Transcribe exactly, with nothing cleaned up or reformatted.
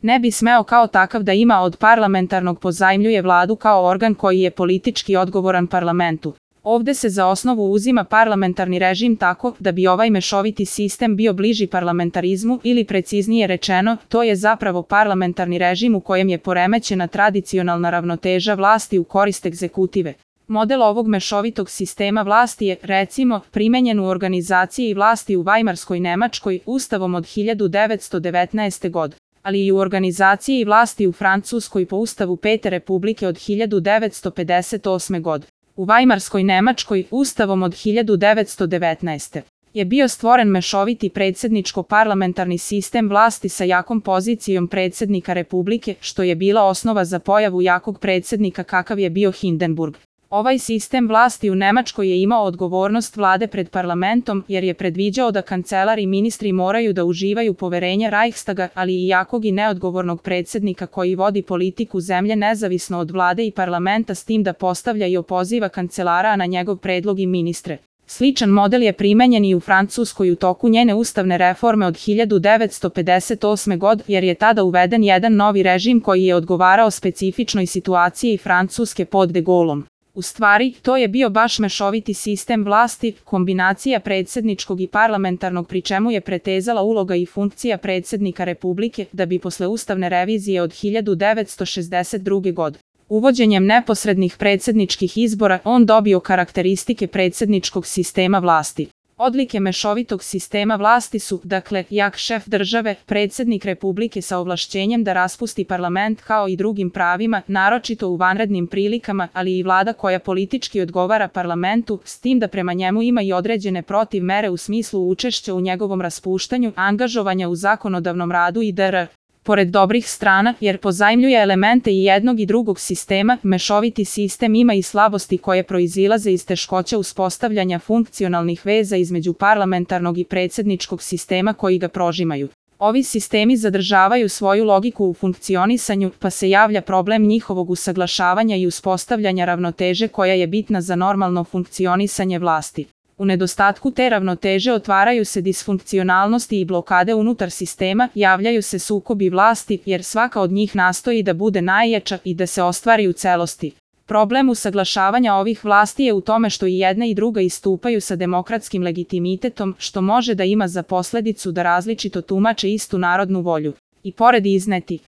ne bi smeo kao takav da ima od parlamentarnog pozajmljuje vladu kao organ koji je politički odgovoran parlamentu. Ovde se za osnovu uzima parlamentarni režim tako da bi ovaj mešoviti sistem bio bliži parlamentarizmu ili preciznije rečeno, to je zapravo parlamentarni režim u kojem je poremećena tradicionalna ravnoteža vlasti u korist egzekutive. Model ovog mešovitog sistema vlasti je, recimo, primenjen u organizaciji vlasti u Vajmarskoj Nemačkoj ustavom od hiljadu devetsto devetnaeste. godine, ali i u organizaciji vlasti u Francuskoj po ustavu Pete republike od hiljadu devetsto pedeset osme. godine. U Vajmarskoj Nemačkoj ustavom od hiljadu devetsto devetnaeste. je bio stvoren mešoviti predsjedničko-parlamentarni sistem vlasti sa jakom pozicijom predsjednika Republike, što je bila osnova za pojavu jakog predsjednika kakav je bio Hindenburg. Ovaj sistem vlasti u Nemačkoj je imao odgovornost vlade pred parlamentom jer je predviđao da kancelar i ministri moraju da uživaju poverenje Reichstaga, ali i jakog i neodgovornog predsjednika koji vodi politiku zemlje nezavisno od vlade i parlamenta s tim da postavlja i opoziva kancelara a na njegov predlog i ministre. Sličan model je primenjen i u Francuskoj u toku njene ustavne reforme od hiljadu devetsto pedeset osme. godine jer je tada uveden jedan novi režim koji je odgovarao specifičnoj situaciji Francuske pod De Gaulleom. U stvari, to je bio baš mešoviti sistem vlasti, kombinacija predsjedničkog i parlamentarnog pri čemu je pretezala uloga i funkcija predsjednika Republike da bi posle ustavne revizije od hiljadu devetsto šezdeset druge. godine uvođenjem neposrednih predsjedničkih izbora on dobio karakteristike predsjedničkog sistema vlasti. Odlike mešovitog sistema vlasti su, dakle, jak šef države, predsjednik Republike sa ovlašćenjem da raspusti parlament kao i drugim pravima, naročito u vanrednim prilikama, ali i vlada koja politički odgovara parlamentu, s tim da prema njemu ima i određene protiv mere u smislu učešća u njegovom raspuštanju, angažovanja u zakonodavnom radu i dr. Pored dobrih strana, jer pozajmljuje elemente i jednog i drugog sistema, mešoviti sistem ima i slabosti koje proizilaze iz teškoća uspostavljanja funkcionalnih veza između parlamentarnog i predsjedničkog sistema koji ga prožimaju. Ovi sistemi zadržavaju svoju logiku u funkcionisanju, pa se javlja problem njihovog usaglašavanja i uspostavljanja ravnoteže koja je bitna za normalno funkcionisanje vlasti. U nedostatku te ravnoteže otvaraju se disfunkcionalnosti i blokade unutar sistema, javljaju se sukobi vlasti jer svaka od njih nastoji da bude najjača i da se ostvari u celosti. Problem usaglašavanja ovih vlasti je u tome što i jedna i druga istupaju sa demokratskim legitimitetom, što može da ima za posledicu da različito tumače istu narodnu volju. I pored izneti